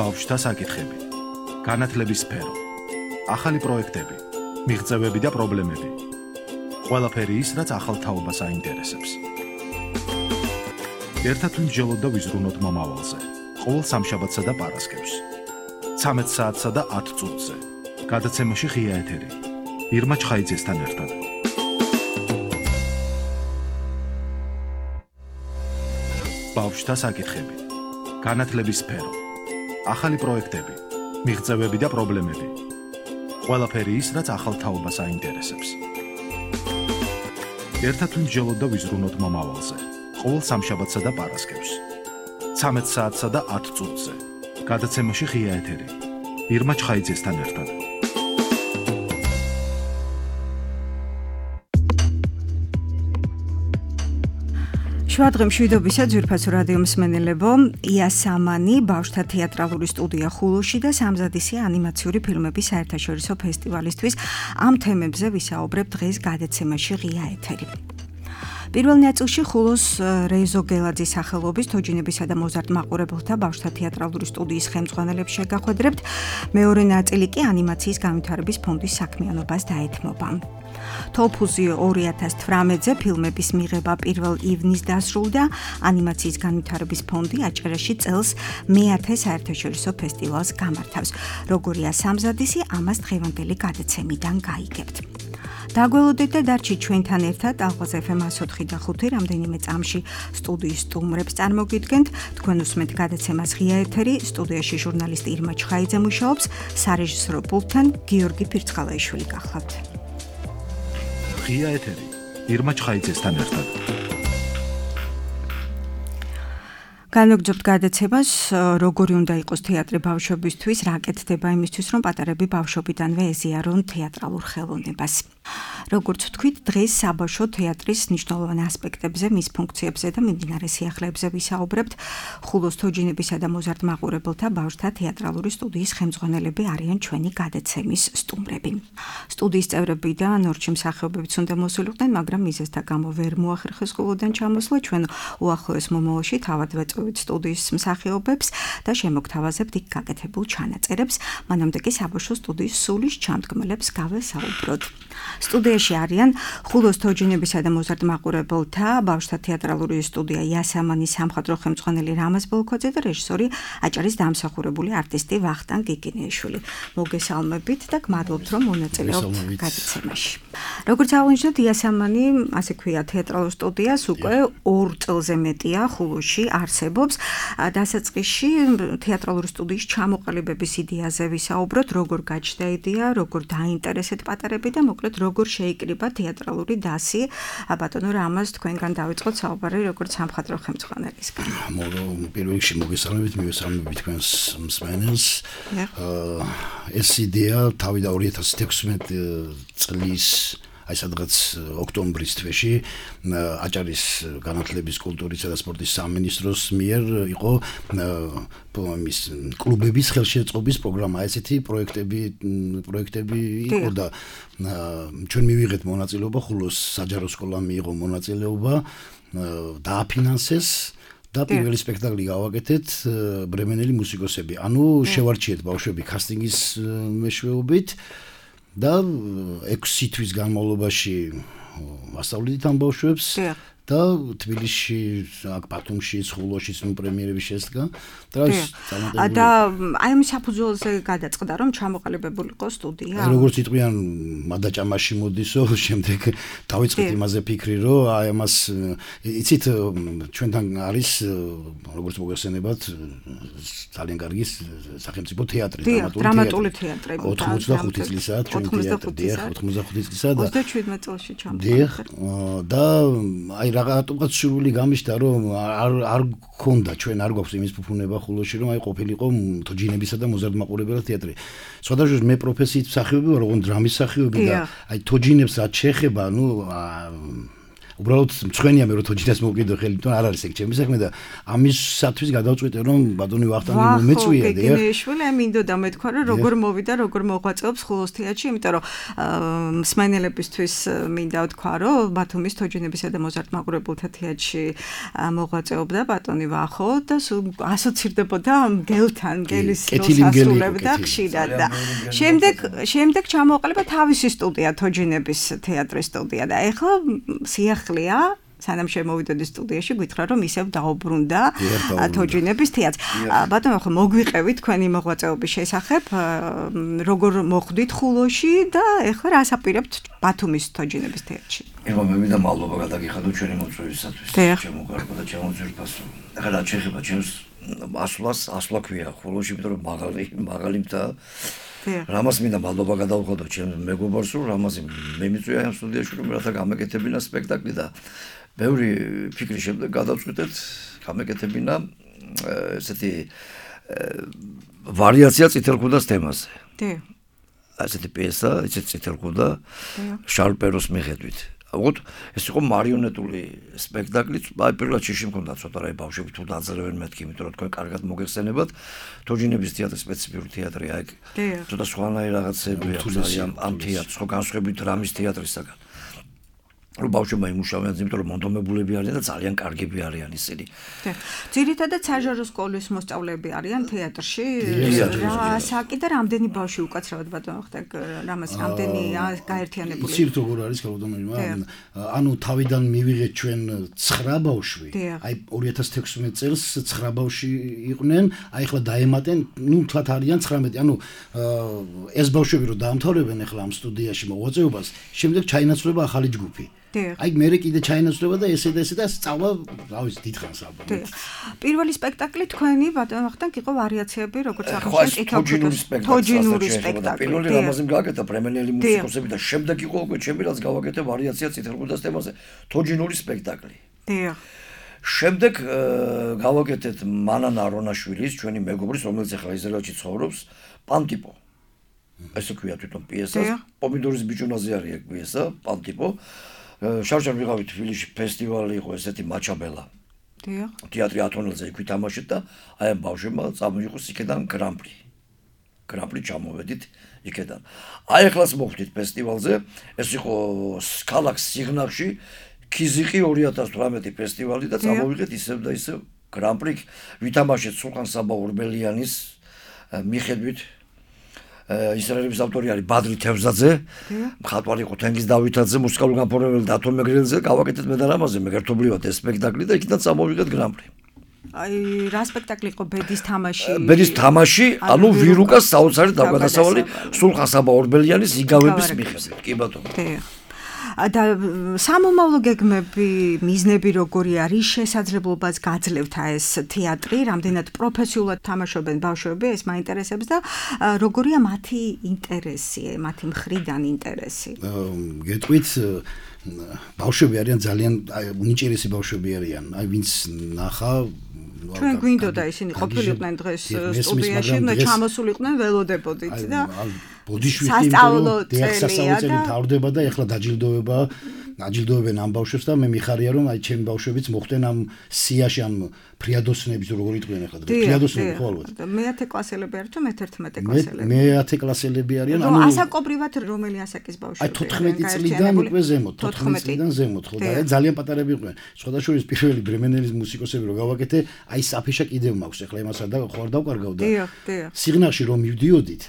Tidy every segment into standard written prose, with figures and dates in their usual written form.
ბავშვთა საკითხები, განათლების სფერო, ახალი პროექტები, მიღწევები და პრობლემები. ყველაფერი ის, რაც ახალ თაობას აინტერესებს. ერთად ვიმსჯელოთ და ვიზრუნოთ მომავალზე. ყოველ სამშაბათსა და პარასკევს. 13 საათსა და 10 წუთზე. გადაცემაში ღია ეთერი. ირმა ჩხაიძესთან ერთად. ბავშვთა საკითხები, განათლების სფერო, ახალი პროექტები, მიღწევები და პრობლემები. ყველაფერი ის, რაც ახალ თაობას აინტერესებს. ერთად ვიმსჯელოთ და ვიზრუნოთ მომავალზე. ყოველ სამშაბათსა და პარასკევს. 13 საათსა და 10 წუთზე. გადაცემაში ღია ეთერი. ირმა ჩხაიძესთან ერთად. შუადღე მშვიდობისა ძვირფასო რადიო მსმენელებო, იასამანი ბავშვთა თეატრალური სტუდია ხულოში და სამზადისი ანიმაციური ფილმების საერთაშორისო ფესტივალისთვის ამ თემებზე ვისაუბრებ დღეს გადაცემაში ღია ეთერი. პირველ ნაწილში ხულოს რეზო გელაძის სახელობის თოჯინებისა და მოზარდ მაყურებელთა ბავშვთა თეატრალური სტუდიის ხელმძღვანელებს შეგახვედრებთ, მეორე ნაწილი კი ანიმაციის განვითარების ფონდის საქმიანობას დაეთმობა. თოლფუზი 2018-ზე ფილმების მიღება 1 ივნისს დასრულდა, ანიმაციის განვითარების ფონდი აჭარაში წელს მე-10 საერთაშორისო ფესტივალს გამართავს. როგორია სამზადისი, ამას დღევანდელი გადაცემიდან გაიგებთ. დაგველოდეთ და დარჩით ჩვენთან ერთად ალყაზ FM 104 და 5 რამდენიმე წამში სტუდიის სტუმრებს წარმოგიდგენთ. თქვენ უსმენთ გადაცემას ღია ეთერი, სტუდიაში ჟურნალისტი ირმა ჩხაიძე მუშაობს, სარეჟისორო პულტთან გიორგი ფირცხალაიშვილი გახლავთ. ღია ეთერი, ირმა ჩხაიძესთან ერთად. განვაგრძობთ გადაცემას, როგორი უნდა იყოს თეატრი ბავშვებისთვის, რა კეთდება იმისთვის, რომ პატარები ბავშვობიდანვე ეზიარონ თეატრალურ ხელოვნებას. როგორც ვთქვით, დღეს საბავშვო თეატრის მნიშვნელოვან ასპექტებზე, მის ფუნქციებზე და მიმდინარე სიახლეებზე ვისაუბრებთ. ხულოს თოჯინებისა და მოზარდ მაყურებელთა ბავშვთა თეატრალური სტუდიის ხელმძღვანელები არიან ჩვენი გადაცემის სტუმრები. სტუდიის წევრები და ნორჩი მსახიობებიც უნდა მოსულიყვნენ, მაგრამ მიზეზთა გამო ვერ მოახერხეს ხულოდან ჩამოსვლა. ჩვენ უახლოეს მომავალში თავად ვეწვევით სტუდიის მსახიობებს და შემოგთავაზებთ იქ გაკეთებულ ჩანაწერებს. მანამდე კი საბავშვო სტუდიის სულის ჩამდგმელებს გავესაუბროთ. სტუდიაში არიან ხულოს თოჯინებისა და მოზარდ მაყურებელთა ბავშვთა თეატრალური სტუდია იასამანის სამხატვრო ხელმძღვანელი რამაზ ბოლქოძე და რეჟისორი აჭარის დამსახურებული არტისტი ვახტანგ გიგინიაშვილი. მოგესალმებით და გმადლობთ, რომ მონაწილეობთ გადაცემაში. როგორც აღნიშნეთ, იასამანი, ასე ქვია, თეატრალურ სტუდიას უკვე 2 წელზე მეტია ხულოში არსებობს. დასაწყისში თეატრალური სტუდიის ჩამოყალიბების იდეაზე ვისაუბროთ, როგორ გაჩნდა იდეა, როგორ დაინტერესეთ პატარები და მოკლედ როგორ შეიკრიბა თეატრალური დასი. ბატონო რამაზ, თქვენგან დავიწყოთ საუბარი როგორც სამხატვრო ხელმძღვანელისგან. პირველ რიგში მოგესალმებით, მივესალმებით თქვენს მსმენელს. ეს იდეა თავიდან 2016 წლის აი სადღაც ოქტომბრის თვეში აჭარის განათლების, კულტურისა და სპორტის სამინისტროს მიერ იყო კლუბების ხელშეწყობის პროგრამა, ესეთი პროექტები იყო და ჩვენ მივიღეთ მონაწილეობა, ხულოს საჯარო სკოლამ მიიღო მონაწილეობა, დააფინანსეს და პირველი სპექტაკლი გავაკეთეთ ბრემენელი მუსიკოსები. ანუ შევარჩიეთ ბავშვები კასტინგის მეშვეობით და 6 თვის განმავლობაში ვასწავლეთ ამ ბავშვებს და თბილისში, აქ ბათუმში, ხულოში პრემიერები შესდგა. და აი ამ საფუძველზე გადაწყდა, რომ ჩამოყალიბებულიყო სტუდია. როგორც იტყვიან, მადაჭამაში მოდისო, შემდეგ დავიწყეთ იმაზე ფიქრი, რომ აი ამას იცით, ჩვენთან არის, როგორც მოგეხსენებათ, ძალიან კარგი სახელმწიფო თეატრი, დრამატული თეატრი. 85 წლისაა ჩვენი თეატრი, 85 წლისაა და 27 წელში ჩამოყალიბდა. და აი რაღაცა სურვილი გამიშთა, რომ არ გქონდა, ჩვენ არ გვაქვს იმის ფუფუნება ხულოში, რომ აი ყოფილიყო თოჯინებისა და მოზარდ მაყურებელთა თეატრი. სხვადასხვა მე პროფესიით მსახიობი ვარ, ოღონდ დრამის მსახიობი და აი თოჯინებს რაც შეეხება, უბრალოდ მწვენია მე რომ თოჯინას მოვკიდო ხელი, თვითონ არ არის ეგ ჩემი საქმე და ამისათვის გადავწყვიტე რომ ბატონი ვახტანგი მომეწვია და გიგინეიშვილი მინდოდა მეთქვა რომ როგორ მოვიდა, როგორ მოღვაწეობს ხულოს თეატრში, იმიტომ რომ მსმენელებისთვის მინდა ვთქვა რომ ბათუმის თოჯინებისა და მოზარდ-მაყურებელთა თეატრში მოღვაწეობდა ბატონი ვახო და ასოცირდებოდა მგელთან, მგელის როლს ასრულებდა ხშირად და შემდეგ ჩამოყალიბა თავისი სტუდია თოჯინების თეატრის სტუდია და ეხლა სიახლეა სანამ შემოვიდოდი სტუდიაში გითხრა რომ ისევ დაუბრუნდა თოჯინების თეატრს. ბატონო ხო მოგვიყევი თქვენი მოღვაწეობის შესახებ როგორ მოხვდით ხულოში და ეხლა რას აპირებთ ბათუმის თოჯინების თეატრში? ეხლა მე მინდა მადლობა გადაგიხადო ჩვენი მოწვევისათვის. შემოგვარგო და ჩემოძირფასო. ეხლა რა შეიძლება ჩემს ასვლა ქვია ხულოში, იმიტომ რომ მაღალი მთა რამას მინდა მადლობა გადავხადო ჩემს მეგობარს, რომ რამაზე მე მიწვია ამ სტუდიაში რომ რათა გამეკეთებინა სპექტაკლი და ბევრი ფიქრის შემდეგ გადავწყვიტეთ გამეკეთებინა ესეთი ვარიაცია წითელქუდას თემაზე. ესეთი პიესა, ესეთი წითელქუდა შარლ პეროს მიხედვით. უბრალოდ ეს იყო მარიონეტული სპექტაკლი, აი პირველად შეში მქონდა ცოტა რა ბავშვები თუ დაძლევენ მეთქი, იმიტომ რომ თქვენ კარგად მოგეხსენებათ, თოჯინების თეატრი სპეციფიკური თეატრია, აი ცოტა სხვანაირი რაღაცები აქვს ამ თეატრს, ხო განსხვავებით რამის თეატრისაგან. რომ ბავშვებმა იმუშავებენ, იმიტომ რომ მონდომებულები არიან და ძალიან კარგები არიან ისინი. ძირითადად საჟარო სკოლის მოსწავლეები არიან თეატრში. საკი და რამდენი ბავშვი უკაცრავად ბატონო ხდა რამას რამდენი გაერთიანებული. იცით როგორ არის კალოდონომა? ანუ თავიდან მივიღეთ ჩვენ 9 ბავშვი. აი 2016 წელს 9 ბავშვი იყვნენ, აი ახლა დაემატენ, ნუ თვათ არიან 19. ანუ ეს ბავშვები რომ დაამთავრებენ ახლა ამ სტუდიაში მოღვაწეობას, შემდეგ ჩაინაცვლება ახალი ჯგუფი. აი მე კიდე ჩაინაცვლება და ესე და სწავლა, რა ვიცი, დიდხანს ალბათ. პირველი სპექტაკლი თქვენი ბატონო ხთან იყო ვარიაციები, როგორც აღნიშნეთ, თოჯინური სპექტაკლი. პირველი რამაზე გააკეთა პრემენელი მუსიკოსები და შემდეგ იყო უკვე ჩემი რაც გავაკეთე ვარიაცია წითელქუდას თემაზე, თოჯინური სპექტაკლი. შემდეგ გავაკეთეთ მანანა არონაშვილის, ჩვენი მეგობრის, რომელიც ახლა ისრაელში ცხოვრობს, პანტიპო. ესე ქვია თვითონ პიესას, პომიდორის ბიჭუნაზე არის ეგ პიესა, პანტიპო. შავშან ვიღავით თბილისში ფესტივალი იყო ესეთი მაჩაბელა. თეატრი ათონელზე იქ ვითამაშეთ და აი ამ ბავშვებმა წამოიღოს იქიდან გრან-პრი. გრან-პრი ჩამოვედით იქიდან. აი ახლაც მოხვდით ფესტივალზე, ეს იყო ქალაქ სიღნაღში ქიზიყი 2018 ფესტივალი და წამოვიღეთ ისევ და ისევ გრან-პრი ვითამაშეთ სულხან საბა ორბელიანის მიხედვით ისრაელის ავტორი არის ბადრი თევზაძე, მხატვარი იყო თენგიზ დავითაძე, მუსიკალური განფორმებელი დათო მეგრელზე, გავაკეთეთ მე და რამაზე მეგერთობრივად ეს სპექტაკლი და იქიდან წამოვიღეთ გრან-პრი. აი რა სპექტაკლი იყო ბედის თამაში? ბედის თამაში, ანუ ვირუკას საოცარი თავგადასავალი სულხან საბა ორბელიანის იგავების მიხედვით. კი ბატონო. და სამომავლო გეგმები, მიზნები როგორი არის, შესაძლებლობას გაძლევთ ეს თეატრი, რამდენად პროფესიულად თამაშობენ ბავშვები, ეს მაინტერესებს და როგორია მათი ინტერესი, მათი მხრიდან ინტერესი? გეტყვით ბავშვები არიან ძალიან უნიჭერესი ბავშვები არიან. აი ვინც ნახა ჩვენ გვინდოდა ისინი ყოფილიყვნენ დღეს სტუდიაში, და ჩამოსულიყვნენ ველოდებოდით და ბოდიშვილი დასწავლებელი თავდება და ეხლა დაჯილდოებენ ამ ბავშვებს და მე მიხარია რომ აი ჩემი ბავშვებიც მოხდნენ ამ სიაში ამ ფრიადოსნების როგორ იყვნენ ახლა დღეს ფრიადოსნები ხო ალბათ მე 10 კლასელები არის თუ მე 11 კლასელები მე 10 კლასელები არიან ანუ ასაკობრივად რომელი ასაკის ბავშვები აი 14 წლიდან უკვე ზემოთ 14 წლიდან ზემოთ ხო და ძალიან პატარები იყვნენ სხვადასხვა პირველი ბრემენელის მუსიკოსები რო გავაკეთე აი საფეშა კიდევ მაქვს ახლა იმასა და ხوار დავკარგავ და სიგნალში რომ მივდიოდით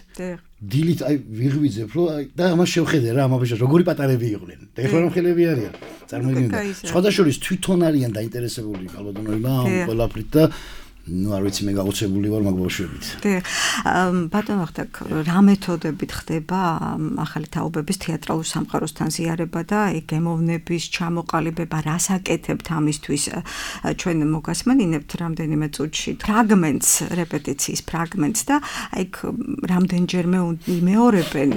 დილით აი ვიღვიძებ რომ და ამას შევხედე რა ამაში როგორი პატარები იყვნენ და ეხლა რომ ხელები არიან წარმოიდგინეთ სხვადასხვა თვითონ არიან დაინტერესებული კალოდონოებმა ამ ყველაფრით და ну არ ვიცი მე გაოცებული ვარ მაგ ბავშვებით. ბატონო ხთაკ რა მეთოდებით ხდება ახალი თაობების თეატრალურ სამყაროსთან ზიარება და გემოვნების ჩამოყალიბება, რას აკეთებთ ამისთვის? ჩვენ მოგასმენინებთ რამდენიმე წუთში ფრაგმენტს, რეპეტიციის ფრაგმენტს და აი რამდენჯერმე იმეორებენ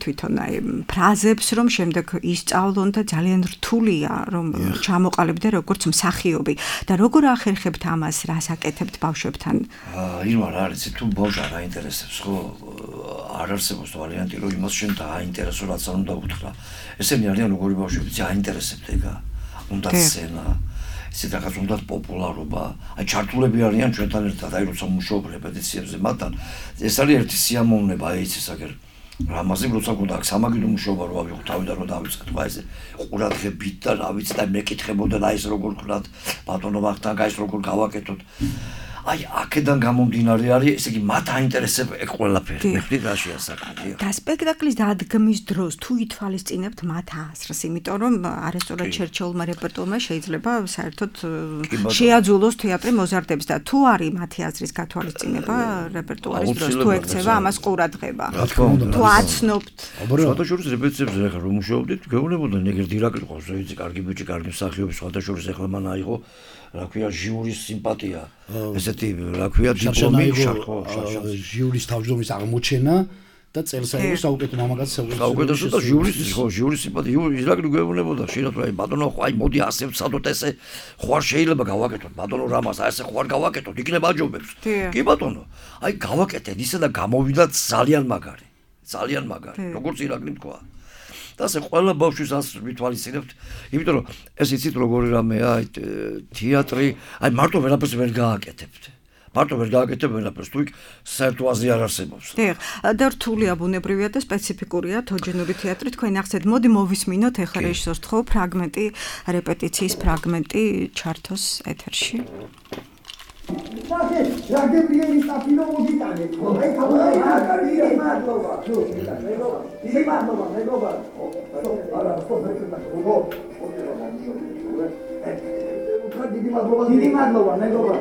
თვითონ აი ფრაზებს, რომ შემდეგ ისწავლონ და ძალიან რთულია რომ ჩამოყალიბდე როგორც მსახიობი და როგორ ახერხებთ ამას, რას აკეთებთ ბავშვებთან? ირმა რა არის თუ ბავშვს არ აინტერესებს ხო არ არსებობს ვარიანტი რომ იმას შენ დააინტერესო რაც არ უნდა უთხრა ესენი არიან როგორი ბავშვები აინტერესებთ ეგა უნდა სცენა, ისეთ რაღაც უნდა პოპულარობა. აი ჩართულები არიან ჩვენთან ერთად, აი როცა მუშაობ რეპეტიციებზე მათთან, ეს არის ერთი სიამოვნება, აი იცი საკერ. რამაზე როცა გქონდა აქ სამაგიდო მუშაობა რო ავიღო თავიდან რომ დავიწყეთ, აი ეს ყურადღებით და რა ვიცი და მეკითხებოდა და ეს როგორ ქნათ ბატონო ვახტანგ, აი ეს როგორ გავაკეთოთ. აი აქედან გამომდინარე არის, ესე იგი მათ აინტერესებს ეგ ყველაფერი. მიხდით რაშია საქმე. და სპექტაკლის დადგმის დროს თუ ითვალისწინებთ მათ აზრს, იმიტომ რომ არასწორად ჩერჩოულმა რეპერტუარმა შეიძლება საერთოდ შეაძულოს თეატრი მოზარდებს და თუ არის მათი აზრის გათვალისწინება რეპერტუარის დროს თუ ექცევა ამას ყურადღება. თუ აცნობთ. სხვადასხვა რეპეტიციებზე ახლა რომ მუშაობდით, გეუბნებოდნენ ეგრე დირექტორი ყავს, ზოიცი კარგი ბიჭი, კარგი მსახიობი, სხვადასხვა ახლა მან აიღო რა ქვია ჟიურის სიმპათია. ესეთი რა ქვია დიპლომი შარხო ჟიურის თავმჯდომარის აღმოჩენა და წელსაერთი საუკეთესო მამაკაცი საუკეთესო და ჟიურის სიმპათია ირაკლი გვეუბნებოდა შეიძლება რა ბატონო აი მოდი ასე ვცადოთ ესე ხوار შეიძლება გავაკეთოთ ბატონო რამას აი ესე ხوار გავაკეთოთ იქნება აჯობებს კი ბატონო აი გავაკეთეთ ისე და გამოვიდათ ძალიან მაგარი როგორც ირაკლი თქვა და ასე ყველა ბავშვის ასს ვითვალისწინებთ, იმიტომ რომ ეს იცით როგორი რამეა, აი თეატრი, აი მარტო ვერაფერს ვერ გააკეთებთ. ვერაფერს, თუ იქ საერთო აზრი არ არსებობს. დიახ, და რთულია ბუნებრივია და სპეციფიკურია თოჯინური თეატრი. თქვენ ახსენეთ, მოდი მოვისმინოთ ეხლა რეჟისორს თქო ფრაგმენტი, რეპეტიციის ფრაგმენტი ჩართოს ეთერში. რა გებრიელი სტაფილო მოდიტანე. აი კაბა მადლობა. დიდი მადლობა, მეგობა. არა, ხო, დიდი მადლობა, მეგობა.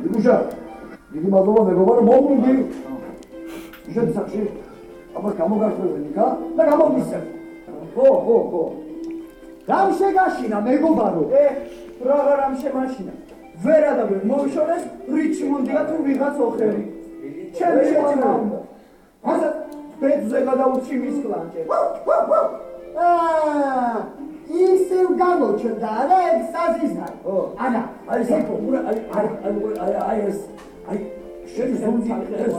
იგუშა. დიდი მადლობა, მეგობა, რომ მომუნდი. შეცახში. აბა გამოგარკვევენ იქა და გამომისცემ. ხო. რამ შეგაშინა, მეგობარო? პროგრამ შემაშინა. ვერა და ვერ მოიშორეს რიჩმონდია თუ ვიღაც ოხერი. ჩემი შეჭმა უნდა. ასე ბედზე გადაუჩი მის კლანჭე. ისევ გამოჩნდა რა ეგ საზიზნა. ანა, აი სექო, აი ეს აი შენი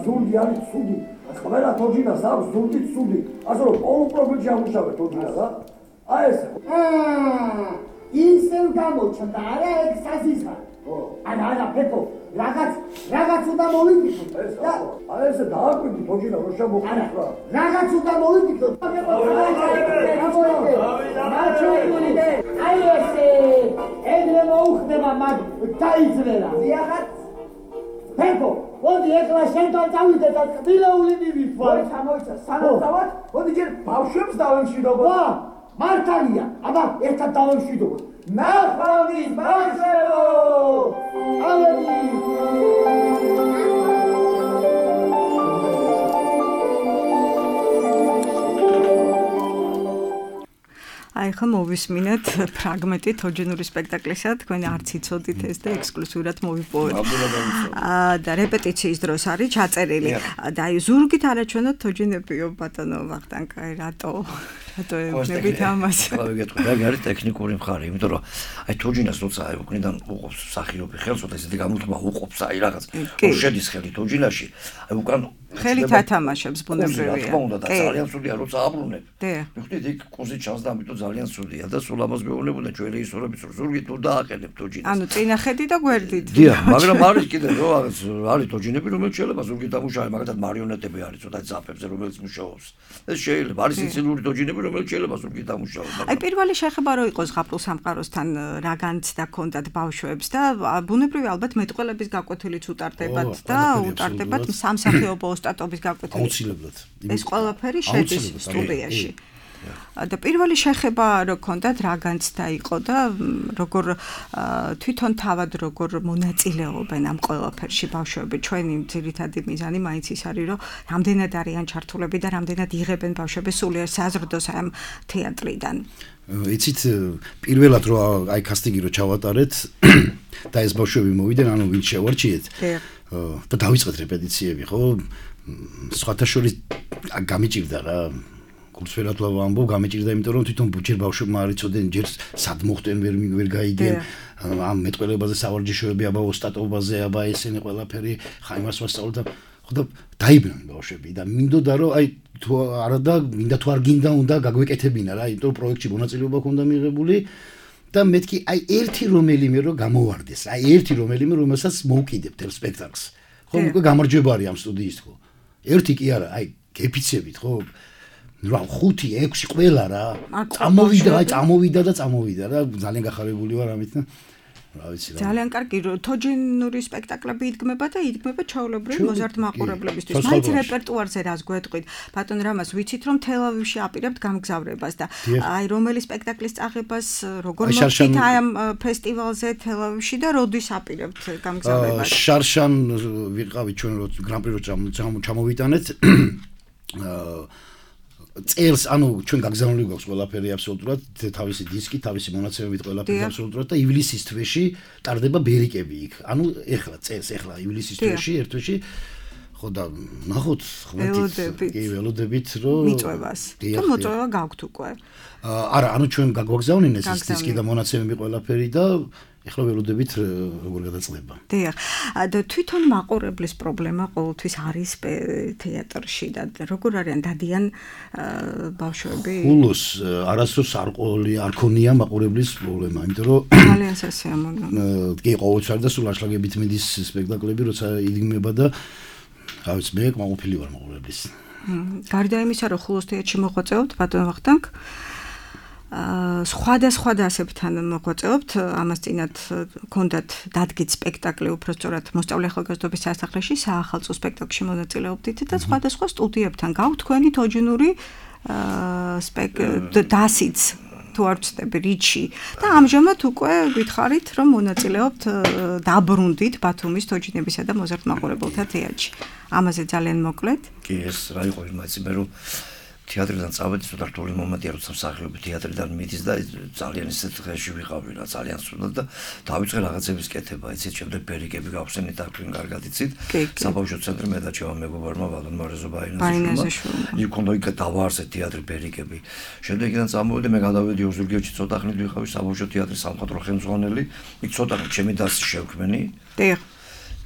ზუნდი არის ცუდი. ყველა თოჯინას აქვს ზუნდი ცუდი. ასე რომ ყოველ პრობლემაში ამუშავებ თოჯინა რა. აი ეს. ისევ გამოჩნდა რა ეგ საზიზნა. ანა პეპო რაღაც უნდა მოვიფიქროთ და ეს დააკვირდი თოჯინა რო შემოხდა რაღაც უნდა მოვიფიქროთ აი ესე ეგრე მოუხდება მაგ დაიძრელა დიახაც პეპო მოდი ეხლა შენთან წავიდე და კბილეული მივიხვარ ჩამოიცა სანამ დავარ მოდი ჯერ ბავშვებს დავემშვიდობო მართალია აბა ერთად დავემშვიდობო ნახვამის ბავშვებო აი ხომ მოვისმინეთ ფრაგმენტი თოჯინური სპექტაკლისა, თქვენ არც იცოდით ეს და ექსკლუზიურად მოვიპოვეთ. და რეპეტიციის დროს არის ჩაწერილი. და აი ზურგით არაჩვენოთ თოჯინებიო ბატონო ვახტანგ, აი რატო ეუბნებით ამას? ყველა ვიგეთქვი, რა არის ტექნიკური მხარე, იმიტომ რომ აი თოჯინას როცა აი უკნიდან უყობს მსახიობი ხელს, ოდა ესეთი გამოთქმა უყობს აი რაღაც შედის ხელი თოჯინაში, აი უკან ხელი თათამაშებს ბუნებრივია. თქმა უნდა და ძალიან ცუდია როცა აბრუნებ. მიხდით იქ კუზი ჩანს და ამიტომ ძალიან ცუდია და სულ ამას მეუბნებოდა ჩვენ რეჟისორებს რომ ზურგით თუ დააყენებ თოჯინას. ანუ წინახედი და გვერდით. დიახ, მაგრამ არის კიდე რო არის თოჯინები რომელიც შეიძლება ზურგით ამუშავე, მაგათაც მარიონეტები არის ცოტა ძაფებზე რომელიც მუშაობს. ეს შეიძლება არის სიცილური თოჯინები რომელიც შეიძლება ზურგით ამუშავე. აი პირველი შეხება რო იყოს ზღაპრულ სამყაროსთან რა განცდა ქონდათ ბავშვებს და ბუნებრივია ალბათ მეტყველების გაკვეთილიც უტარდებათ და უტარდებათ სამსახიობო ოსტატობის გაკვეთილი. აუცილებლად. ეს ყველაფერი შედის სტუდიაში. და პირველი შეხება რო ქონდათ რა განცდა იყო და როგორ თვითონ თავად როგორ მონაწილეობენ ამ ყველაფერში ბავშვები. ჩვენი ძირითადი მიზანი მაინც ის არის რომ რამდენად არიან ჩართულები და რამდენად იღებენ ბავშვები სულიერ საზრდოს ამ თეატრიდან. იცით პირველად რო აი კასტინგი რო ჩავატარეთ და ეს ბავშვები მოვიდნენ, ანუ ვინ შევარჩიეთ და დავიწყეთ რეპეტიციები, ხო? სხვათა შორის გამიჭირდა რა კურსვერად ვამბობ, გამიჭირდა, იმიტომ რომ თვითონ ჯერ ბავშვებმა არ იცოდნენ, ჯერ სად მოხდნენ, ვერ გაიგენ ამ მეტყველებაზე სავარჯიშოები, აბა ოსტატობაზე, აბა ესენი ყველაფერი, ხა იმას ვასწავლოთ და ხო და დაიბრუნდნენ ბავშვები და მინდოდა რომ აი თუ არა და მინდა თუ არ გინდა უნდა გაგვეკეთებინა რა, იმიტომ რომ პროექტში მონაწილეობა ქონდა მიღებული და მეთქი აი ერთი რომელიმე რო გამოვარდეს, აი ერთი რომელიმე რომელსაც მოვკიდებთ ერთ სპექტაკლს. ხო, უკვე გამარჯვება არის ამ სტუდიის ხო. ერთი კი არა, აი გეფიცებით ხო. რა 5-6 ყველა რა. წამოვიდა რა, ძალიან გახარებული ვარ ამით და რა ვიცი რა. ძალიან კარგი თოჯინური სპექტაკლები იდგმება და იდგმება ჩაოლებრივი მოზარდ მაყურებლებისთვის. მაინც რეპერტუარზე რას გვეტყვით? ბატონ რამას ვიცით რომ თელ-ავივში აპირებთ გამგზავრებას და აი რომელი სპექტაკლის წაღებას როგორ მოხდით აი ამ ფესტივალზე თელ-ავივში და როდის აპირებთ გამგზავრებას? შარშან ვიყავით ჩვენ გრან-პრი რო ჩამოვიტანეთ წელს ანუ ჩვენ გაგზავნილი გვაქვს ყველაფერი აბსოლუტურად თავისი დისკი, თავისი მონაცემებით ყველაფერი აბსოლუტურად და ივლისის თვეში ტარდება ბერიკები იქ. ანუ ეხლა წელს ეხლა ივლისის თვეში ერთ თვეში ხო და ნახოთ ველოდებით რომ მიწვევას. თუ მოწვევა გაქვთ უკვე. არა, ანუ ჩვენ გაგვაგზავნინეს ეს დისკი და მონაცემები ყველაფერი და ეხლა ველოდებით როგორ გადაწყდება. დიახ. და თვითონ მაყურებლის პრობლემა ყოველთვის არის თეატრში და როგორ არიან დადიან ბავშვები? ხულოს არასდროს არ ქონია მაყურებლის პრობლემა, იმიტომ რომ ძალიან სასიამოვნო. კი ყოველთვის და სულ აშლაგებით მიდის სპექტაკლები, როცა იდგმება და რა ვიცი, მე მაყოფილი ვარ მაყურებლის. გარდა იმისა, რომ ხულოს თეატრში მოღვაწეობთ, ბატონ ვახტანგ სხვადასხვა დასებთან მოღვაწეობთ, ამას წინათ გქონდათ დადგეთ სპექტაკლი, უფრო სწორად მოსწავლე ახალგაზრდობის სასახლეში საახალწლო სპექტაკლში მონაწილეობდით და სხვადასხვა სტუდიებთან გაქვთ თქვენი თოჯინური დასიც თუ არ ვცდები რიჩი და ამჟამად უკვე გითხარით რომ მონაწილეობთ დაბრუნდით ბათუმის თოჯინებისა და მოზარდ მაყურებელთა თეატრში. ამაზე ძალიან მოკლედ. კი ეს რა იყო იმაცი მე რომ თეატრიდან წავედი ცოტა რთული მომენტია როცა მსახიობი თეატრიდან მიდის და ძალიან ისეთ დღეში ვიყავი რა ძალიან სრულად და დავიწყე რაღაცების კეთება იცით შემდეგ ბერიკები გავხსენით და თქვენ კარგად იცით საბავშვო ცენტრი მე და ჩემო მეგობარმა ვალდემარ რეზობაინაძეშვილმა იქ უნდა იქ დავაარსეთ თეატრი ბერიკები შემდეგ იქიდან წამოვედი მე გადავედი ოზურგეთში ცოტა ხნით ვიყავი საბავშვო თეატრის სამხატვრო ხელმძღვანელი იქ ცოტა ხნით ჩემი დასი შევქმენი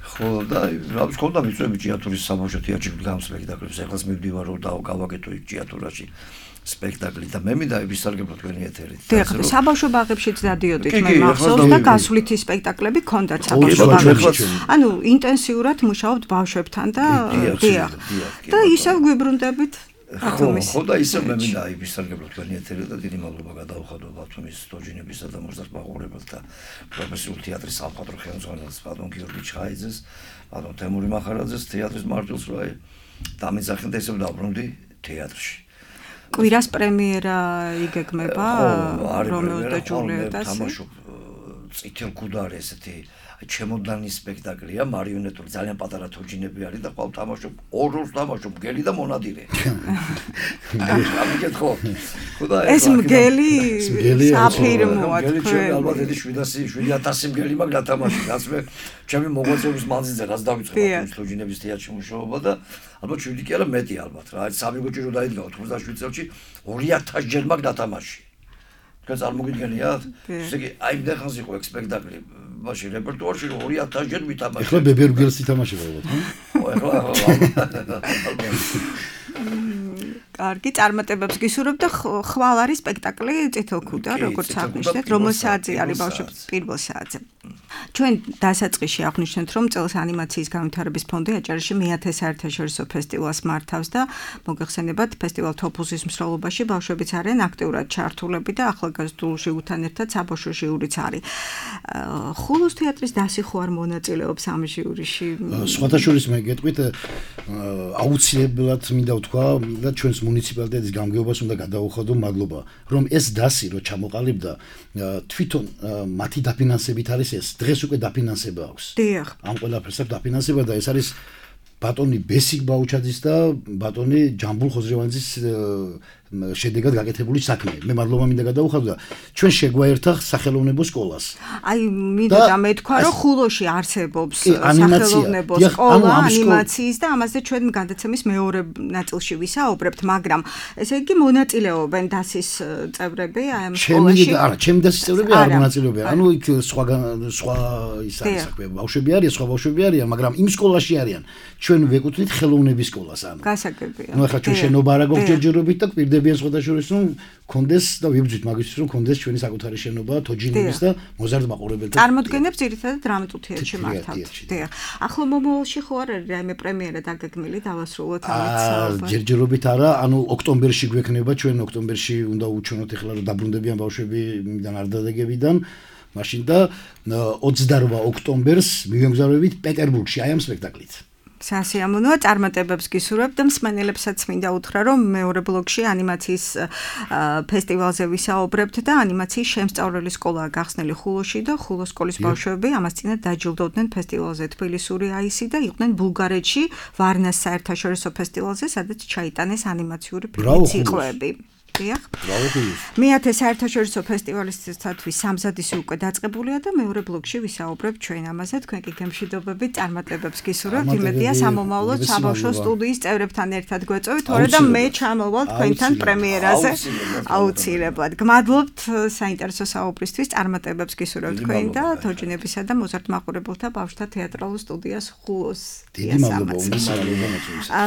ხო და რა ვიცი ხონდა მიწვევი ჭიათურის საბავშვო თეატრში გამ სპექტაკლებს ეხლაც მივდივარ რომ გავაკეთო იქ ჭიათურაში სპექტაკლი და მე მინდა ვისარგებლო თქვენი ეთერით. დიახ, საბავშვო ბაღებშიც დადიოდით მე მახსოვს და გასვლითი სპექტაკლები ჰქონდათ საბავშვო ბაღებში. ანუ ინტენსიურად მუშაობთ ბავშვებთან და დიახ. და ისევ გვიბრუნდებით ხო და ისევ მე მინდა ვისარგებლო თქვენი ეთერით და დიდი მადლობა გადავხადო ბათუმის თოჯინებისა და მოზარდ მაყურებელთა პროფესიული თეატრის სამხატვრო ხელმძღვანელს ბატონ გიორგი ჩხაიძეს, ბატონ თემური მახარაძეს თეატრის მარტვილს რა დამიძახეთ და ისევ დაბრუნდი თეატრში. კვირას პრემიერა იგეგმება რომეოს და ჯულიეტას. თამაშობ წითელ ქუდარი ესეთი ჩემოდანი სპექტაკლია მარიონეტული ძალიან პატარა თოჯინები არის და ყავ თამაშობ ორ-ორს თამაშობ მგელი და მონადირე. ამიგეთ ხო? ეს მგელი საფირმოა თქვენ. მგელი ალბათ ედი 700 მგელი მაგ დათამაში. რაც მე ჩემი მოღვაწეობის მანძილზე რაც დავიწყე თოჯინების თეატრში მუშაობა და ალბათ 7 კი არა მეტი ალბათ რა. სამი გოჭი რო დაიდგავ 97 წელში 2000 ჯერ მაგ დათამაში. თქვენ წარმოგიდგენიათ? ესე იგი აი მდეხანს იყო ეგ სპექტაკლი. მაშინ რეპერტუარში 2000 ჯერ ვითამაშე. ეხლა ბებერგელს ითამაშება ალბათ, ხო? ეხლა კარგი წარმატებებს გისურვებთ და ხვალ არის სპექტაკლი წითელ ქუდა, როგორც აღნიშნეთ, რომელ საათზე არის ბავშვებს პირველ საათზე. ჩვენ დასაწყისში აღნიშნეთ, რომ წელს ანიმაციის განვითარების ფონდი აჭარაში მე-10 საერთაშორისო ფესტივალს მართავს და მოგეხსენებათ, ფესტივალ თოფუზის მსვლელობაში ბავშვებიც არიან აქტიურად ჩართულები და ახალგაზრდულ ჟიურთან ერთად საბავშვო ჟიურიც არის. ხულოს თეატრის დასი ხო არ მონაწილეობს ამ ჟიურიში? სხვათა შორის მე გეტყვით, აუცილებლად მინდა ვთქვა, და ჩვენს მუნიციპალიტეტის გამგეობას უნდა გადაუხადო მადლობა, რომ ეს დასი რო ჩამოყალიბდა, თვითონ მათი დაფინანსებით არის ეს. დღეს უკვე დაფინანსება აქვს. დიახ. ამ ყველაფერს აქვს დაფინანსება და ეს არის ბატონი ბესიკ ბაუჩაძის და ბატონი ჯამბულ ხოზრევანძის შედეგად გაკეთებული საქმე. მე მადლობა მინდა გადაუხადო და ჩვენ შეგვაერთა სახელოვნებო სკოლას. აი მინდა მეთქვა რომ ხულოში არსებობს სახელოვნებო სკოლა ანიმაციის და ამაზე ჩვენ გადაცემის მეორე ნაწილში ვისაუბრებთ, მაგრამ ესე იგი მონაწილეობენ დასის წევრები აი ამ სკოლაში? არა, ჩემი დასის წევრები არ მონაწილეობენ. ანუ იქ სხვა ის არის საქმე, ბავშვები არიან, სხვა ბავშვები არიან, მაგრამ იმ სკოლაში არიან. ჩვენ ვეკუთვნით ხელოვნების სკოლას ანუ. გასაგებია. ნუ ახლა ჩვენ შენობა არა გვაქვს ჯერჯერობით და გვირდებით დაბრუნდებიან სხვადასხვა რომ კონდეს და ვიბრძვით მაგისთვის რომ კონდეს ჩვენი საკუთარი შენობა თოჯინების და მოზარდ მაყურებელთა წარმოდგენებს ძირითადად დრამატულ თეატრში მართავთ. დიახ. ახლა მომავალში ხო არ არის რაიმე პრემიერა დაგეგმილი დავასრულოთ ამით? ჯერჯერობით არა, ანუ ოქტომბერში გვექნება, ჩვენ ოქტომბერში უნდა უჩვენოთ ახლა რომ დაბრუნდებიან ბავშვები იმიდან არ დადეგებიდან, მაშინ და 28 ოქტომბერს მივემგზავრებით პეტერბურგში აი ამ სპექტაკლით. სასიამოვნოა, წარმატებებს გისურვებ და მსმენელებსაც მინდა უთხრა, რომ მეორე ბლოკში ანიმაციის ფესტივალზე ვისაუბრებთ და ანიმაციის შემსწავლელი სკოლაა გახსნილი ხულოში და ხულოს სკოლის ბავშვები ამას წინათ დაჯილდოვდნენ ფესტივალზე თბილისური აისი და იყვნენ ბულგარეთში ვარნას საერთაშორისო ფესტივალზე, სადაც ჩაიტანეს ანიმაციური ციკლები. დიახ. მე-10 საერთაშორისო ფესტივალისთათვის სამზადისი უკვე დაწყებულია და მეორე ბლოკში ვისაუბრებ ჩვენ ამაზე. თქვენ კი გემშვიდობებით, წარმატებებს გისურვებთ. იმედია სამომავლოდ საბავშვო სტუდიის წევრებთან ერთად გვეწევით, თორე და მე ჩამოვალ თქვენთან პრემიერაზე. აუცილებლად. გმადლობთ საინტერესო საუბრისთვის, წარმატებებს გისურვებთ თქვენ და თოჯინებისა და მოზარდ მაყურებელთა ბავშვთა თეატრალურ სტუდიას ხულოს. დიდი მადლობა.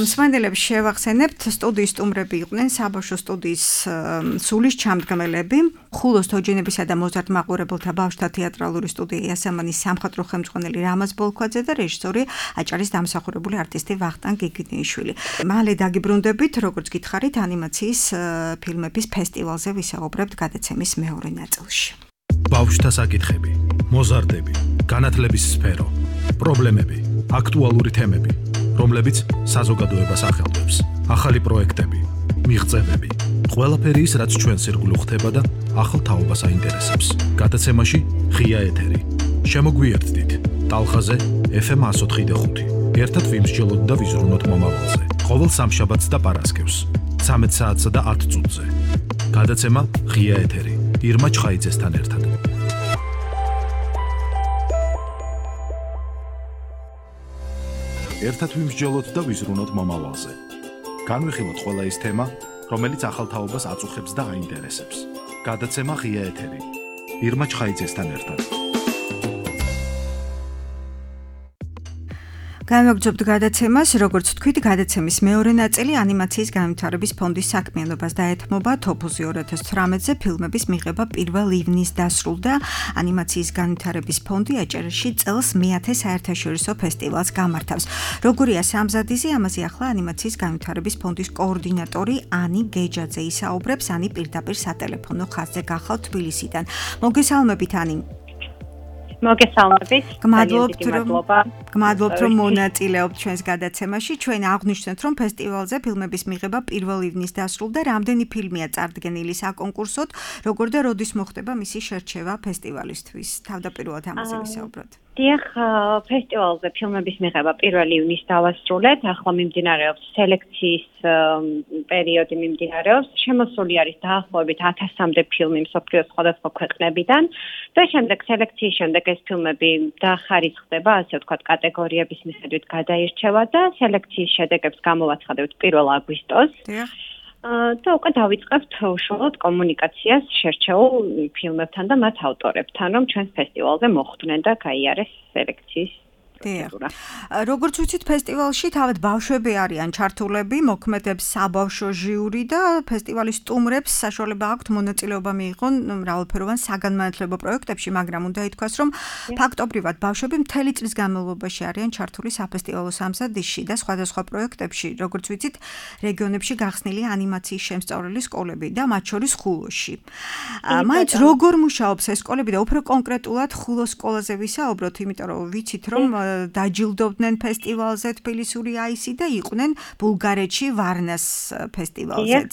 მსმენელებს შევახსენებთ, სტუდიის სტუმრები იყვნენ საბავშვო სტუდიის სულის ჩამდგმელები, ხულოს თოჯინებისა და მოზარდ მაყურებელთა ბავშვთა თეატრალური სტუდია იასამანის სამხატვრო ხელმძღვანელი რამაზ ბოლქვაძე და რეჟისორი აჭარის დამსახურებული არტისტი ვახტანგ გიგინიშვილი. მალე დაგიბრუნდებით, როგორც გითხარით, ანიმაციის ფილმების ფესტივალზე ვისაუბრებთ გადაცემის მეორე ნაწილში. ბავშვთა საკითხები, მოზარდები, განათლების სფერო, პრობლემები, აქტუალური თემები, რომლებიც საზოგადოებას ახელვებს, ახალი პროექტები, მიღწევები. ყველაფერი ის, რაც ჩვენს ირგვლივ ხდება და ახალ თაობას აინტერესებს. გადაცემაში ღია ეთერი. შემოგვიერთდით ტალხაზე FM 104.5. ერთად ვიმსჯელოთ და ვიზრუნოთ მომავალზე. ყოველ სამშაბათს და პარასკევს 13 საათსა და 10 წუთზე. გადაცემა ღია ეთერი. ირმა ჩხაიძესთან ერთად. ერთად ვიმსჯელოთ და ვიზრუნოთ მომავალზე. განვიხილოთ ყველა ის თემა, რომელიც ახალ თაობას აწუხებს და აინტერესებს. გადაცემა ღია ეთერი. ირმა ჩხაიძესთან ერთად. განვაგრძობთ გადაცემას, როგორც თქვით, გადაცემის მეორე ნაწილი ანიმაციის განვითარების ფონდის საქმიანობას დაეთმობა. თოფუზი 2018-ზე ფილმების მიღება 1 ივნის დასრულდა. ანიმაციის განვითარების ფონდი აჭარაში წელს მე-10 საერთაშორისო ფესტივალს გამართავს. როგორია სამზადისი, ამაზე ახლა ანიმაციის განვითარების ფონდის კოორდინატორი ანი გეჯაძე ისაუბრებს. ანი პირდაპირ სატელეფონო ხაზზე გახავთ თბილისიდან. მოგესალმებით, ანი. მოგესალმებით. გმადლობთ, რომ მონაწილეობთ ჩვენს გადაცემაში. ჩვენ აღვნიშნეთ, რომ ფესტივალზე ფილმების მიღება 1 ივნის დასრულდა. რამდენი ფილმია წარდგენილი საკონკურსოდ, როგორ და როდის მოხდება მისი შერჩევა ფესტივალისთვის? თავდაპირველად ამაზე ვისაუბროთ. დიახ, ფესტივალზე ფილმების მიღება 1 ივნის დავასრულეთ. ახლა მიმდინარეობს სელექციის პერიოდი მიმდინარეობს. შემოსული არის დაახლოებით 1000-მდე ფილმი მსოფლიოს სხვადასხვა ქვეყნებიდან და შემდეგ სელექციის შემდეგ ეს ფილმები დახარისხდება, ასე ვთქვათ, კატეგორიების მიხედვით გადაირჩევა და სელექციის შედეგებს გამოვაცხადებთ 1 აგვისტოს. დიახ. და უკვე დავიწყებთ უშუალოდ კომუნიკაციას შერჩეულ ფილმებთან და მათ ავტორებთან, რომ ჩვენს ფესტივალზე მოხვდნენ და გაიარეს სელექციის პროცედურა. როგორც ვიცით, ფესტივალში თავად ბავშვები არიან ჩართულები, მოქმედებს საბავშვო ჟიური და ფესტივალის სტუმრებს საშუალება აქვთ მონაწილეობა მიიღონ მრავალფეროვან საგანმანათლებლო პროექტებში, მაგრამ უნდა ითქვას, რომ ფაქტობრივად ბავშვები მთელი წლის განმავლობაში არიან ჩართული საფესტივალო სამზადისში და სხვადასხვა პროექტებში, როგორც ვიცით, რეგიონებში გახსნილი ანიმაციის შემსწავლელი სკოლები და მათ შორის ხულოში. მაინც როგორ მუშაობს ეს სკოლები და უფრო კონკრეტულად ხულოს სკოლაზე ვისაუბროთ, იმიტომ რომ ვიცით, რომ დაჯილდოვდნენ ფესტივალზე თბილისური აისი და იყვნენ ბულგარეთში ვარნას ფესტივალზეც.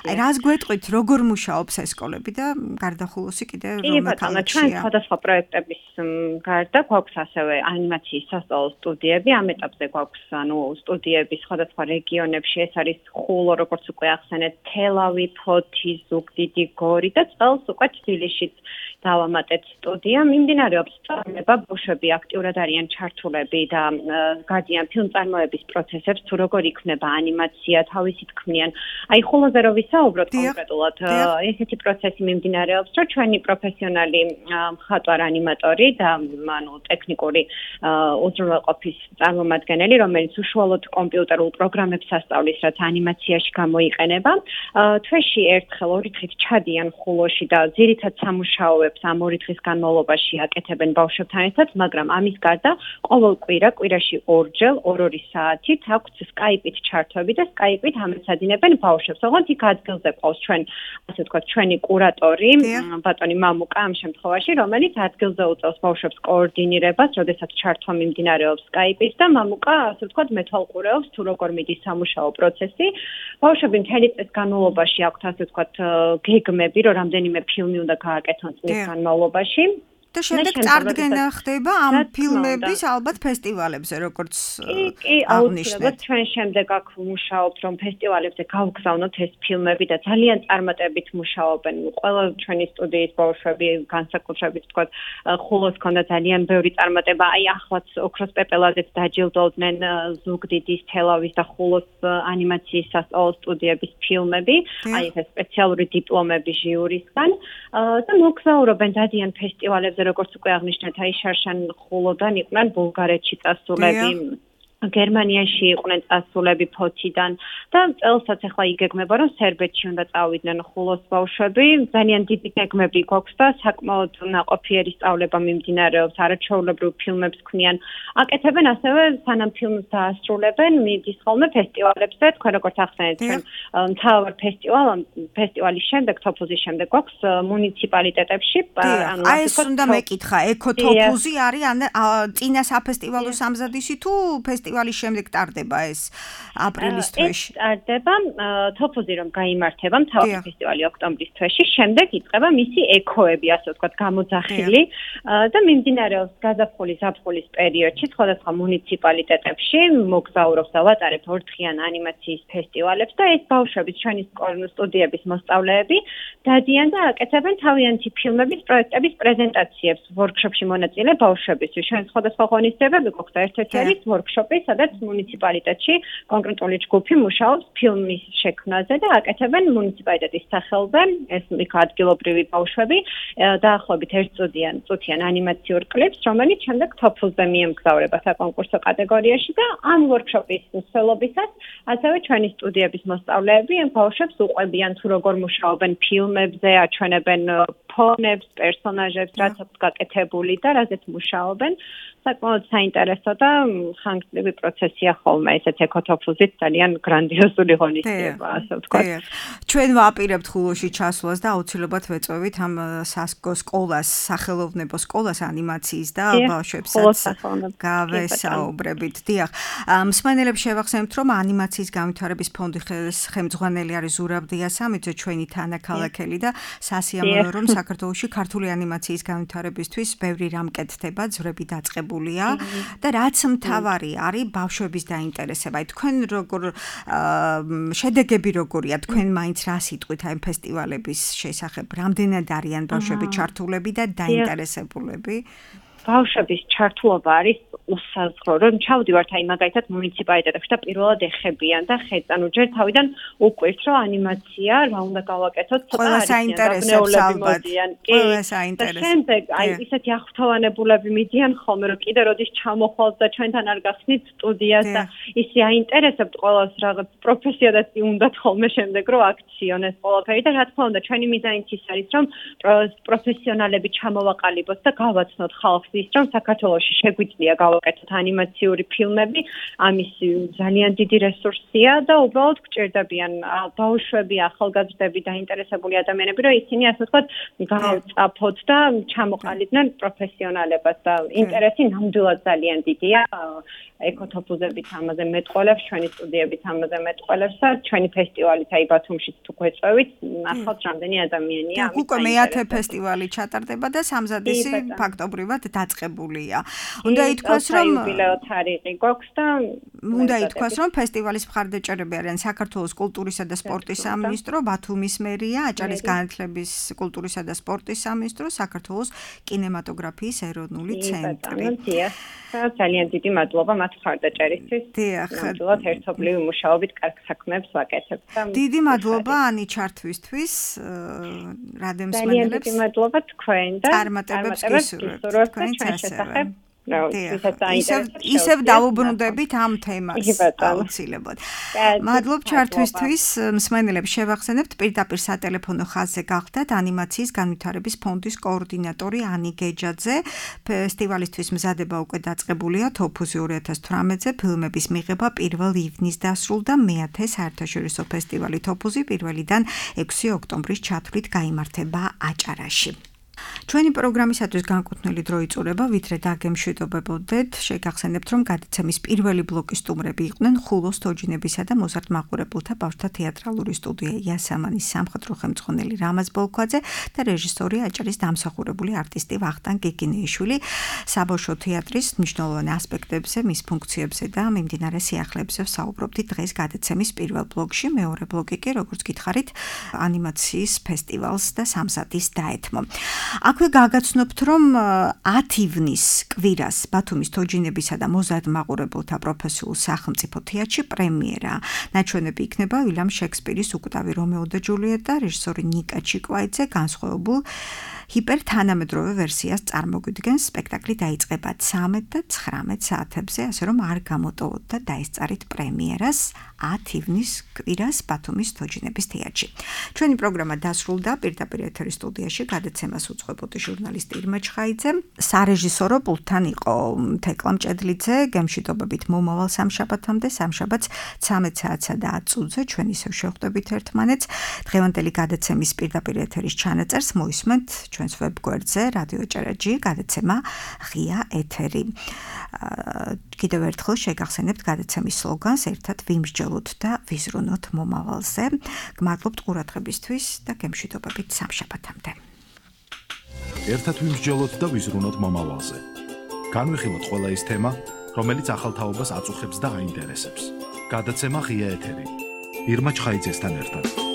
აი რას გვეტყვით, როგორ მუშაობს ეს სკოლები და გარდა ხულოსი კიდე რომ ჩვენ სხვადასხვა პროექტების გარდა გვაქვს ასევე ანიმაციის სასწავლო სტუდიები, ამ ეტაპზე გვაქვს სტუდიები სხვადასხვა რეგიონებში, ეს არის ხულო, როგორც უკვე ახსენეთ, თელავი, ფოთი, ზუგდიდი, გორი და წელს უკვე თბილისშიც დავამატეთ სტუდია. მიმდინარეობს სწავლება, ბავშვები აქტიურად არიან ჩართული მიმართულები და გადიან ფილმწარმოების პროცესებს, თუ როგორ იქმნება ანიმაცია, თავისით ქმნიან. აი ხოლოზე რო ვისაუბროთ კონკრეტულად, ესეთი პროცესი მიმდინარეობს, რომ ჩვენი პროფესიონალი მხატვარ ანიმატორი და ტექნიკური უზრუნველყოფის წარმომადგენელი, რომელიც უშუალოდ კომპიუტერულ პროგრამებს ასწავლის, რაც ანიმაციაში გამოიყენება, თვეში ერთხელ ორი დღით ჩადიან ხულოში და ძირითად სამუშაოებს ამ ორი დღის განმავლობაში აკეთებენ ბავშვებთან ერთად, მაგრამ ამის გარდა ყოველ კვირაში ორჯერ 2 საათით აქვთ Skype-ით ჩართვები და Skype-ით ამეცადინებენ ბავშვებს. ოღონდ იქ ადგილზე ყავს ასე ვთქვათ, ჩვენი კურატორი, ბატონი მამუკა ამ შემთხვევაში, რომელიც ადგილზე უწევს ბავშვებს კოორდინირებას, როდესაც ჩართვა მიმდინარეობს Skype-ის და მამუკა, ასე ვთქვათ, მეთვალყურეობს, თუ როგორ მიდის სამუშაო პროცესი. ბავშვები მთელი წლის განმავლობაში აქვთ, ასე ვთქვათ, გეგმები, რომ რამდენიმე ფილმი უნდა გააკეთონ წლის განმავლობაში. და შემდეგ წარდგენა ხდება ამ ფილმების ალბათ ფესტივალებზე, როგორც აუცილებლად ჩვენ შემდეგ აქ მუშაობთ, რომ ფესტივალებზე გავგზავნოთ ეს ფილმები და ძალიან წარმატებით მუშაობენ. ყველა ჩვენი სტუდიის ბავშვები, განსაკუთრებით თქვა, ხულოს ქონდა ძალიან ბევრი წარმატება. აი ახლაც ოქროს პეპელაძეც დაჯილდოვდნენ ზუგდიდის, თელავის და ხულოს ანიმაციის სასწავლო სტუდიების ფილმები. აი ეს სპეციალური დიპლომები ჟიურისგან და მოგზაურობენ დადიან ფესტივალებზე, როგორც უკვე აღნიშნეთ, აი შარშან ხულოდან იყვნენ ბულგარეთში წასულები, გერმანიაში იყვნენ წასულები ფოთიდან და წელსაც ახლა იგეგმება, რომ სერბეთში უნდა წავიდნენ ხულოს ბავშვები. ძალიან დიდი გეგმები გვაქვს და საკმაოდ ნაყოფიერი სწავლება მიმდინარეობს, არაჩვეულებრივ ფილმებს ქმნიან. აკეთებენ ასევე სანამ ფილმს დაასრულებენ, მიდის ხოლმე ფესტივალებზე, თქვენ როგორც ახსენეთ, ჩვენ მთავარ ფესტივალის შემდეგ, თოფუზის შემდეგ გვაქვს მუნიციპალიტეტებში. აი ეს უნდა მეკითხა, ეკოთოფუზი არის წინა საფესტივალო სამზადისი თუ ფესტივალის შემდეგ ტარდება ეს აპრილის თვეში? ტარდება თოფუზი რომ გაიმართება მთავარი ფესტივალი ოქტომბრის თვეში, შემდეგ იწყება მისი ეკოები, ასე ვთქვათ, გამოძახილი და მიმდინარეობს გაზაფხულის ზაფხულის პერიოდში სხვადასხვა მუნიციპალიტეტებში მოგზაურობს და ვატარებ ორდღიან ანიმაციის ფესტივალებს და ეს ბავშვები ჩვენი სტუდიების მოსწავლეები დადიან და აკეთებენ თავიანთი ფილმების პროექტების პრეზენტაციებს ვორქშოპში მონაწილე ბავშვებისთვის. ჩვენ სხვადასხვა ღონისძიებები გვაქვს და ერთ-ერთი არის ვორქშოპი, სადაც მუნიციპალიტეტში კონკრეტული ჯგუფი მუშაობს ფილმის შექმნაზე და აკეთებენ მუნიციპალიტეტის სახელზე, ეს იქ ადგილობრივი ბავშვები დაახლოებით 1 წუთიან ანიმაციურ კლიპს, რომელიც შემდეგ თოფუზზე მიემგზავრება საკონკურსო კატეგორიაში და ამ ვორქშოპის მსვლელობისას ასევე ჩვენი სტუდიების მოსწავლეები ბავშვებს უყვებიან თუ როგორ მუშაობენ ფილმებზე, აჩვენებენ ფონებს, პერსონაჟებს, რაც აქვს გაკეთებული და რაზეც მუშაობენ. საკმაოდ საინტერესო და ხანგრძლივი პროცესია ხოლმე ესეთ ეკოთოფუზით ძალიან გრანდიოზული ღონისძიება, ასე ვთქვათ. ჩვენ ვაპირებთ ხულოში ჩასვლას და აუცილებლად ვეწვევით ამ სკოლას, სახელოვნებო სკოლას ანიმაციის და ბავშვებსაც გავესაუბრებით. დიახ. მსმენელებს შევახსენებთ, რომ ანიმაციის განვითარების ფონდი ხელმძღვანელი არის ზურაბ დიასამიძე, ჩვენი თანაქალაქელი და სასიამოვნოა, რომ საქართველოში ქართული ანიმაციის განვითარებისთვის ბევრი რამ კეთდება, ძვრები დაწყებული და რაც მთავარი არის ბავშვების დაინტერესება. თქვენ როგორ შედეგები როგორია? თქვენ მაინც რა სიტყვით აი ფესტივალების შესახებ? რამდენად არიან ბავშვები ჩართულები და დაინტერესებულები? ბავშვების ჩართულობა არის უსაზღვრო, რომ ჩავდივართ აი მაგალითად მუნიციპალიტეტებში და პირველად ეხებიან და ხედან უჯერ თავიდან უკვირთ, რომ ანიმაცია რა უნდა გავაკეთოთ, ყველა საინტერესებს ალბათ. ყველა საინტერესებს. შემდეგ აი ისეთი აღფრთოვანებულები მიდიან ხოლმე, რომ კიდე როდის ჩამოხვალთ და ჩვენთან არ გახსნით სტუდიას და ისე აინტერესებთ ყველას რაღაც პროფესიადაც უნდათ ხოლმე შემდეგ რომ აქციონეს ყველაფერი და რა თქმა უნდა ჩვენი მიზანიც ის არის, რომ პროფესიონალები ჩამოვაყალიბოთ და გავაცნოთ ხალხს ის, რომ საქართველოში შეგვიძლია გავაკეთოთ ანიმაციური ფილმები, ამის ძალიან დიდი რესურსია და უბრალოდ გჭირდებიან ბავშვები, ახალგაზრდები, დაინტერესებული ადამიანები, რომ ისინი ასე ვთქვათ, გავწაფოთ და ჩამოყალიბდნენ პროფესიონალებას და ინტერესი ნამდვილად ძალიან დიდია. ეკოთოფუზებით ამაზე მეტყოლებს, ჩვენი სტუდიებით ამაზე მეტყოლებს და ჩვენი ფესტივალით აი ბათუმშიც თუ გვეწევით, ნახავთ რამდენი ადამიანია. უკვე მეათე ფესტივალი ჩატარდება და სამზადისი ფაქტობრივად დაწყებულია. უნდა ითქვას, რომ იუბილეო თარიღი გვაქვს და უნდა ითქვას, რომ ფესტივალის მხარდაჭერები არიან საქართველოს კულტურისა და სპორტის სამინისტრო, ბათუმის მერია, აჭარის განათლების, კულტურისა და სპორტის სამინისტრო, საქართველოს კინემატოგრაფიის ეროვნული ცენტრი. ძალიან დიდი მადლობა მათ მხარდაჭერისთვის. ნამდვილად ერთობლივი მუშაობით კარგ საქმეებს ვაკეთებთ. დიდი მადლობა ანი ჩართვისთვის, რადემს მენელებს. ძალიან დიდი მადლობა თქვენ და წარმატებებს გისურვებთ თქვენს შესახებ. ისევ დავუბრუნდებით ამ თემას აუცილებლად. მადლობ ჩართვისთვის, მსმენელებს შევახსენებთ პირდაპირ სატელეფონო ხაზზე გახდათ ანიმაციის განვითარების ფონდის კოორდინატორი ანი გეჯაძე. ფესტივალისთვის მზადება უკვე დაწყებულია თოფუზი 2018-ზე, ფილმების მიღება 1 ივნის დასრულდა, მე-10 საერთაშორისო ფესტივალი თოფუზი 1-დან 6 ოქტომბრის ჩათვლით გაიმართება აჭარაში. ჩვენი პროგრამისათვის განკუთვნილი დრო იწურება, ვიდრე დაგემშვიდობებოდეთ, შეგახსენებთ, რომ გადაცემის პირველი ბლოკის სტუმრები იყვნენ ხულოს თოჯინებისა და მოზარდ მაყურებელთა ბავშვთა თეატრალური სტუდია იასამანის სამხატვრო ხელმძღვანელი რამაზ ბოლქვაძე და რეჟისორი აჭარის დამსახურებული არტისტი ვახტანგ გიგინეიშვილი. საბავშვო თეატრის მნიშვნელოვან ასპექტებზე, მის ფუნქციებზე და მიმდინარე სიახლეებზე ვსაუბრობდით დღეს გადაცემის პირველ ბლოკში. მეორე ბლოკი კი, როგორც გითხარით, ანიმაციის ფესტივალს და სამსადის დაეთმო. აქვე გაგაცნობთ, რომ 10 ივნის კვირას ბათუმის თოჯინებისა და მოზარდ მაყურებელთა პროფესიულ სახელმწიფო თეატრში პრემიერა. ნაჩვენები იქნება ვილიამ შექსპირის უკტავი რომეო და ჯულიეტა, რეჟისორი ნიკა ჩიკვაიძე განსხვავებულ ჰიპერთანამედროვე ვერსიას წარმოგვიდგენს. სპექტაკლი დაიწყება 13 და 19 საათებზე, ასე რომ არ გამოტოვოთ და დაესწარით პრემიერას 10 ივნის კვირას ბათუმის თოჯინების თეატრში. ჩვენი პროგრამა დასრულდა, პირდაპირ ეთერის სტუდიაში გადაცემას უძღვებოდი ჟურნალისტი ირმა ჩხაიძე. სარეჟისორო პულტთან იყო თეკლა მჭედლიძე. გემშვიდობებით მომავალ სამშაბათამდე, სამშაბათს 13 საათსა და 10 წუთზე ჩვენ ისევ შევხვდებით ერთმანეთს. დღევანდელი გადაცემის პირდაპირ ეთერის ჩანაწერს მოისმენთ ჩვენს ვებგვერდზე რადიო ჭერაჯი, გადაცემა ღია ეთერი. კიდევ ერთხელ შეგახსენებთ გადაცემის სლოგანს ერთად ვიმსჯელოთ და ვიზრუნოთ მომავალზე. გმადლობთ ყურადღებისთვის და გემშვიდობებით სამშაბათამდე. ერთად ვიმსჯელოთ და ვიზრუნოთ მომავალზე. განვიხილოთ ყველა ის თემა, რომელიც ახალ თაობას აწუხებს და აინტერესებს. გადაცემა ღია ეთერი. ირმა ჩხაიძესთან ერთად.